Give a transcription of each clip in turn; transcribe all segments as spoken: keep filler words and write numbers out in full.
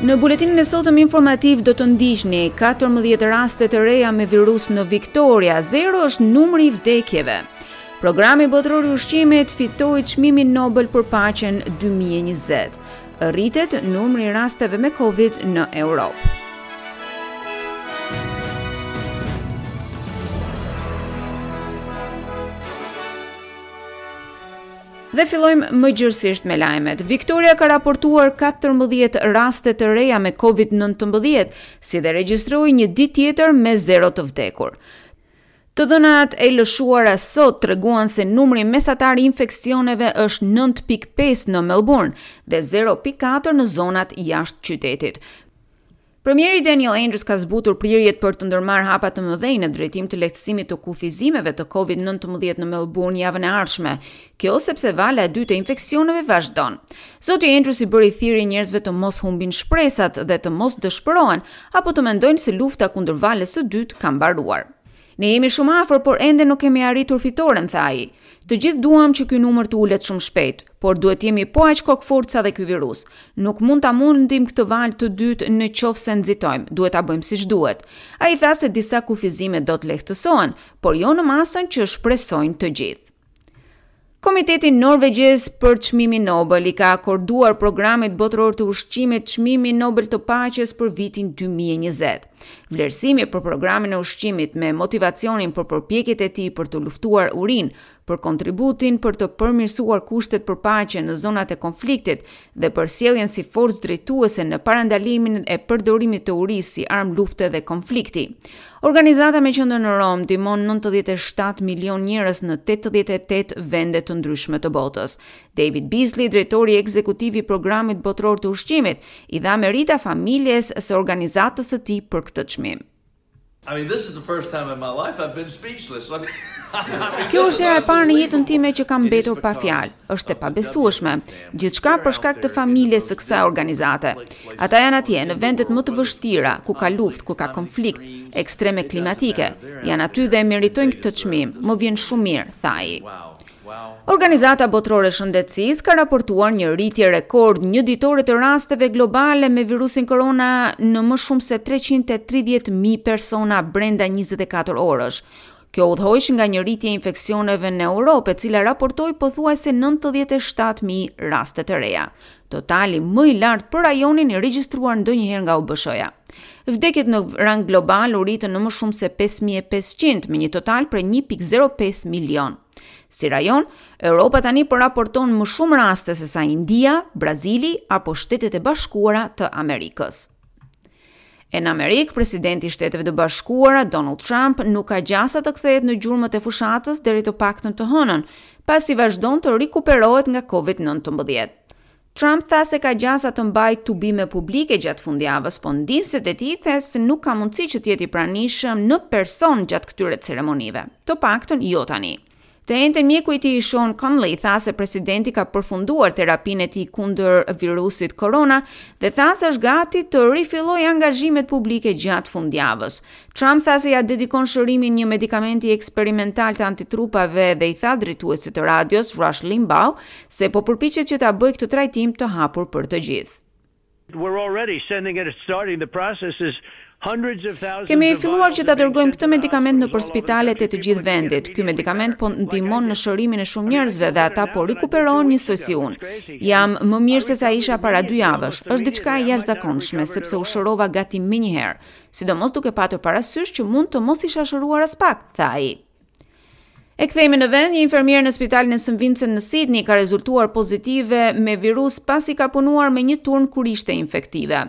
Në buletinin e sotëm informativ do të ndiqni katërmbëdhjetë raste të reja me virus në Victoria, zero është numri i vdekjeve. Programi Botëror i Ushqimit fitoi çmimin Nobel për paqen dy mijë e njëzet. Rritet numri i rasteve me Covid në Europë. Dhe fillojmë më gjërësisht me lajmet. Victoria ka raportuar katërmbëdhjetë raste të reja me Covid nëntëmbëdhjetë, si dhe regjistroi një ditë tjetër me zero të vdekur. Të dhënat e lëshuara sot treguan se numri mesatar i infeksioneve është nëntë pikë pesë në Melbourne dhe zero pikë katër në zonat jashtë qytetit. Premieri Daniel Andrews ka zbutur prirjet për të ndërmarrë hapa të mëdhenj në drejtim të lehtësimit të kufizimeve të Covid nëntëmbëdhjetë në Melbourne javën e ardhshme. Kjo sepse vala e dytë e infeksioneve vazhdon. Zoti Andrews i bëri thirrje njerëzve të mos humbin shpresat dhe të mos dëshpërohen apo të mendojnë se lufta kundër valës së dytë ka mbaruar. Ne jemi shumë afër, por ende nuk kemi arritur fitoren, tha ai. Të gjithë duam që ky numër të ulet shumë shpejt, por duhet jemi po aq kokëfortë sa dhe ky virus. Nuk mund ta mundim këtë valë të dytë në qoftë se nxitojmë, duhet ta bëjmë siç duhet. Ai tha se disa kufizime do të lehtësohen, por jo në masën që shpresojnë të gjithë. Komiteti Norvegjez për çmimin Nobel i ka akorduar programit botëror të ushqimit çmimin Nobel të paqes për vitin dy mijë e njëzet. Vlerësimi për programin e ushqimit me motivacionin për përpjekjet e tij për të luftuar urinë, për kontributin për të përmirësuar kushtet për paqe në zonat e konfliktit dhe për sjelljen si forcë drejtuese në parandalimin e përdorimit të urisë si armë lufte dhe konflikti. Organizata me qendër në Romë ndihmon nëntëdhjetë e shtatë milion njerëz në tetëdhjetë e tetë vende të ndryshme të botës. David Beasley, drejtori ekzekutiv i programit botëror të ushqimit, i dha merita familjes së organizatës së tij për këtë çmim. I mean, this is the first time in my life I've been speechless. I mean, I mean, Kjo this është is hera e parë në jetën unbelievable. time që kam It is mbetur pa because fjalë. Është e of the pabesueshme. W F P. Gjithçka për shkak të familjes së kësaj organizate. Ata janë atje në vendet më të vështira, ku ka luftë, ku ka konflikt, ekstreme klimatike. Janë aty dhe e meritojnë këtë çmim. Më vjen shumë mirë, tha ai. Organizata Botërore e Shëndetësisë ka raportuar një rritje rekord një ditore të rasteve globale me virusin korona në më shumë se treqind e tridhjetë mijë persona brenda njëzet e katër orësh. Kjo udhëhoq nga një rritje e infeksioneve në Europë, e cila raportoi pothuajse nëntëdhjetë e shtatë mijë raste të reja. Totali më i lartë për rajonin i regjistruar ndonjëherë nga O B S-ja. Vdekjet në rang global u rritën në më shumë se pesë mijë e pesëqind, me një total prej një pikë zero pesë milion. Si rajon, Europa tani po raporton më shumë raste se sa India, Brazili apo Shtetet e Bashkuara të Amerikës. E në Amerikë, presidenti i Shteteve të Bashkuara, Donald Trump, nuk ka gjasa të kthehet në gjurmët e fushatës deri të paktën të hënën, pasi vazhdon të rikuperohet nga Covid nëntëmbëdhjetë. Trump tha se ka gjasa të mbajë tubime publike gjatë fundjavës, po ndihmësit e tij tha se nuk ka mundësi që të jetë i pranishëm në person gjatë këtyre ceremonive, të paktën jo tani. Të enjten mjeku i tij Sean Conley tha se presidenti ka përfunduar terapinë e tij kundër virusit korona dhe tha se është gati të rifillojë angazhimet publike gjatë fundjavës. Trump tha se ja dedikon shërimin një medikamenti eksperimental të antitrupave dhe i tha drejtuesit të radios Rush Limbaugh se po përpiqet që ta bëjë këtë trajtim të hapur për të gjithë. We're already sending it, starting the process is hundreds of thousands Kemi of filluar vials që ta have been dërgojmë sent këtë to the medikament në hospitals all over the spitalet e të country. gjithë People can get vendit. Ky immediately medikament po better. Like I ndihmon në did. shërimin e shumë I mean, I njerëzve feel dhe better ata now po than I did two rikuperohen weeks njësoj si ago. unë. It's crazy. Jam më mirë I se sa isha recovered para dy immediately, javësh. almost Është diçka e immediately. I might not have jashtëzakonshme recovered sepse at u all. shërova gati menjëherë, sidomos duke patur parasysh që mund të mos isha shëruar as pak, tha ai. E kthehemi në vend, një infermier në spitalin e Saint Vincent në Sydney ka rezultuar pozitive me virus pasi ka punuar me një turn kur ishte infektive.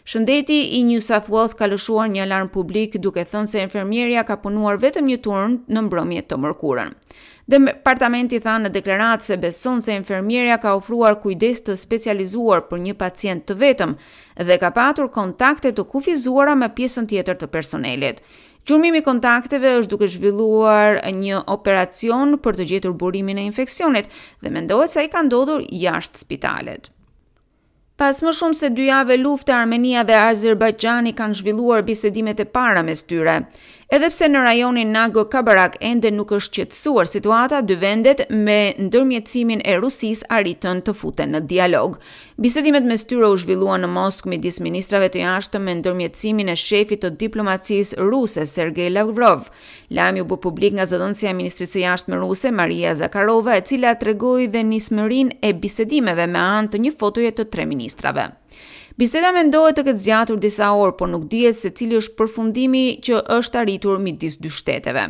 Shëndeti i New South Wales ka lëshuar një alarm publik duke thënë se infermierja ka punuar vetëm një turn në mbrëmje të mërkurën. Departamenti tha në deklaratë se beson se infermierja ka ofruar kujdes të specializuar për një pacient të vetëm dhe ka patur kontakte të kufizuara me pjesën tjetër të personelit. Gjurmimi i kontakteve është duke zhvilluar një operacion për të gjetur burimin e infeksionit dhe mendohet se ai ka ndodhur jashtë spitalit. Pas më shumë se dy jave lufte, Armenia dhe Azerbajxhani kanë zhvilluar bisedimet e para mes tyre. Edhe pse në rajonin Nagorno-Karabakh ende nuk është qetësuar situata, dy vendet me ndërmjetësimin e Rusisë arritën të futen në dialog. Bisedimet mes tyre u zhvilluan në Moskë midis ministrave të jashtëm me ndërmjetësimin e shefit të diplomacisë ruse Sergej Lavrov. Lajmi u bë publik nga zëdhënësja e Ministrisë së Jashtme ruse Maria Zakharova, e cila tregoi dhe nismërinë e bisedimeve me anë të një fotoje të tre ministrave. Biseda mendohet të ketë zgjatur disa orë, por nuk dihet se cili është përfundimi që është arritur midis dy shteteve.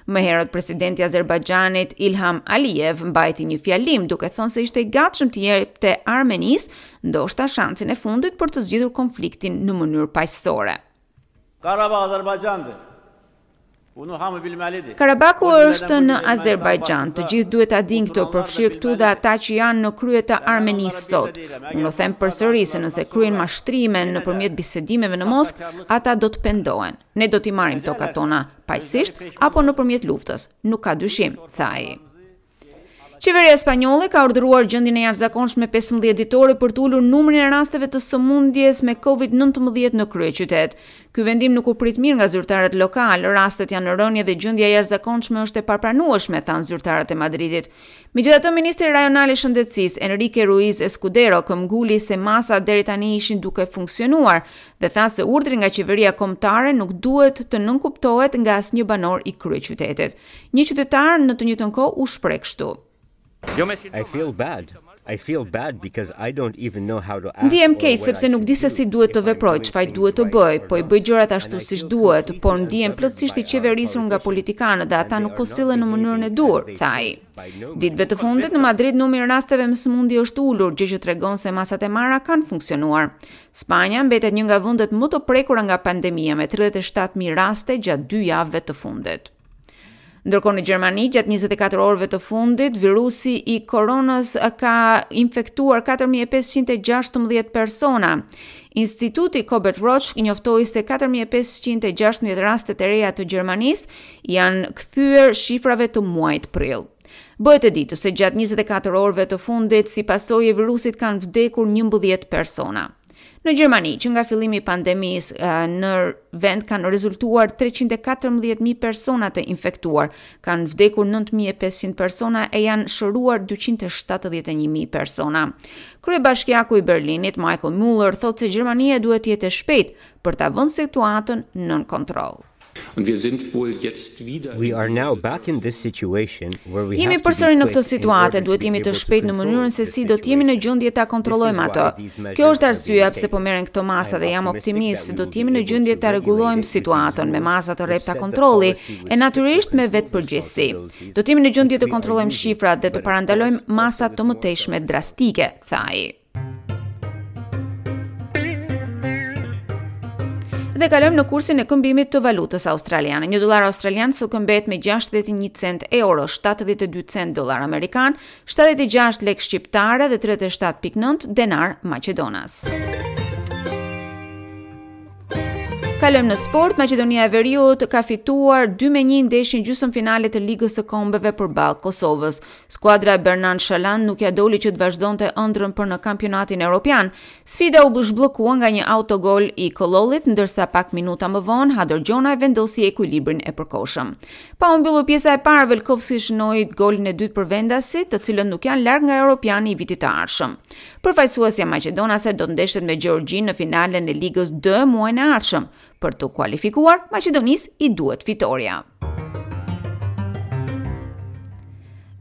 Më herët presidenti i Azerbajxhanit Ilham Aliyev mbajti një fjalim duke thënë se ishte i gatshëm të jepte Armenisë ndoshta shansin e fundit për të zgjidhur konfliktin në mënyrë paqësore. Qarabağ Azərbaycandır. Bunu hamı bilməlidir. Karabaku është në Azerbajxhan. Të gjithë duhet ta dinë këtë, përfshirë këtu dhe ata që janë në krye të Armenisë sot. Unë them përsëri se nëse kryen mashtrime nëpërmjet bisedimeve në Moskë, ata do të pendohen. Ne do t'i marrim tokat tona paqësisht apo nëpërmjet luftës. Nuk ka dyshim, tha ai. Qeveria spanjolle ka urdhëruar gjendjen e jashtëzakonshme pesëmbëdhjetë ditore për të ulur numrin e rasteve të sëmundjes me Covid nëntëmbëdhjetë në kryeqytet. Ky vendim nuk u prit mirë nga zyrtarët lokal. Rastet janë në rënje dhe gjendja e jashtëzakonshme është e papranueshme, thanë zyrtarët e Madridit. Megjithatë, ministri rajonal i shëndetësisë Enrique Ruiz Escudero këmbguli se masat deri tani ishin duke funksionuar dhe tha se urdhri nga qeveria kombëtare nuk duhet të nënkuptohet nga asnjë banor i kryeqytetit. Një qytetar në të njëjtën kohë u shpreh kështu. I feel bad. I feel bad because I don't even know how to act. Ndihem keq sepse nuk di se si duhet të veproj, çfarë duhet të bëj, po i bëj gjërat ashtu siç duhet, por ndihem plotësisht i qeverisur nga politikanët dhe ata nuk po sillen në mënyrën e duhur, tha ai. Ditëve të fundit në Madrid numri i rasteve me sëmundje është ulur, gjë që tregon se masat e marra kanë funksionuar. Spanja mbetet një nga vendet më të prekura nga pandemia me tridhjetë e shtatë mijë raste gjatë dy javëve të fundit. Ndërkohë në Gjermani, gjatë njëzet e katër orëve të fundit, virusi i koronës ka infektuar katër mijë e pesëqind e gjashtëmbëdhjetë persona. Instituti Robert Koch njoftoi se katër mijë e pesëqind e gjashtëmbëdhjetë raste të reja të Gjermanisë janë kthyer shifrave të muajit prill. Bëhet e ditur se gjatë njëzet e katër orëve të fundit, si pasojë e virusit kanë vdekur njëmbëdhjetë persona. Në Gjermani, që nga fillimi i pandemisë, eh, në vend kanë rezultuar treqind e katërmbëdhjetë mijë persona të infektuar, kanë vdekur nëntë mijë e pesëqind persona e janë shëruar dyqind e shtatëdhjetë e një mijë persona. Kryebashkiaku i Berlinit, Michael Müller, thotë se Gjermania duhet të jetë e shpejtë për ta vënë situatën nën kontroll. Und wir sind wohl jetzt wieder We are now back in this situation where we Jemi have to be përsëri në quick këtë in situatë, order to duhet be jemi të able to shpejtë në control mënyrën se the si do të jemi në situation. gjendje ta This is kontrollojmë why atë. these measures Kjo është are arsyeja being pse po taken. merren këto masa I am dhe jam optimistic optimist that se we do will të jemi be në able gjendje to ta rregullojmë regulate it with these situatën me rules masa të which rrepta set the kontrolli policy with e strict natyrisht me control vetëpërgjegjësi. responsibilities Do të jemi në gjendje which të we are kontrollojmë using, shifrat dhe të but of parandalojmë course also masa with të more mëtejshme self-control. drastike, tha ai. Dhe kalojmë në kursin e këmbimit të valutës australiane. Një dollar australian sot këmbet me gjashtëdhjetë e një cent euro, shtatëdhjetë e dy cent dollar amerikan, shtatëdhjetë e gjashtë lekë shqiptare dhe tridhjetë e shtatë pikë nëntë denar maqedonas. Kalojmë në sport. Maqedonia e Veriut ka fituar dy me një ndeshjen gjysmëfinale të Ligës së Kombeve përballë Kosovës. Skuadra e Bernard Shalan nuk ja doli që të vazhdonte ëndrrën për në kampionatin evropian. Sfida u zhbllokua nga një autogol i Kolollit, ndërsa pak minuta më vonë Hadër Gjonaj vendosi ekuilibrin e përkohshëm. Pa u mbyllur pjesa e parë, Velkovski shënoi golin e dytë për vendasit, të cilët nuk janë larg nga europiani i vitit të ardhshëm. Përfaqësuesja maqedonase do të ndeshet me Gjeorgjinë në finalen e Ligës D muajin e ardhshëm. Për të kualifikuar, Maqedonisë i duhet fitoria.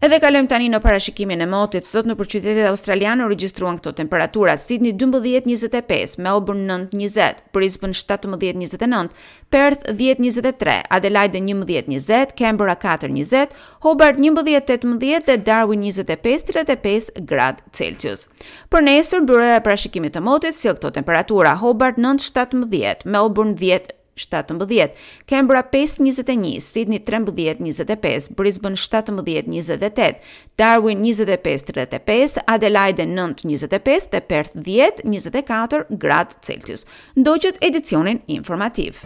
Edhe kalojmë tani në parashikimin e motit. Sot në qytetet australiane u regjistruan këto temperatura: Sydney dymbëdhjetë njëzet e pesë, Melbourne nëntë njëzet, Brisbane shtatëmbëdhjetë njëzet e nëntë, Perth dhjetë njëzet e tre, Adelaide njëmbëdhjetë njëzet, Canberra katër njëzet, Hobart njëmbëdhjetë tetëmbëdhjetë dhe Darwin njëzet e pesë tridhjetë e pesë gradë Celsius. Për nesër, byroja e parashikimit të motit sjell këto temperatura: Hobart nëntë shtatëmbëdhjetë, Melbourne dhjetë shtatëmbëdhjetë, Canberra pesë njëzet e një, Sydney trembëdhjetë njëzet e pesë, Brisbane shtatëmbëdhjetë njëzet e tetë, Darwin njëzet e pesë tridhjetë e pesë, Adelaide nëntë njëzet e pesë dhe Perth dhjetë njëzet e katër gradë Celsius. Ndoqët edicionin informativ.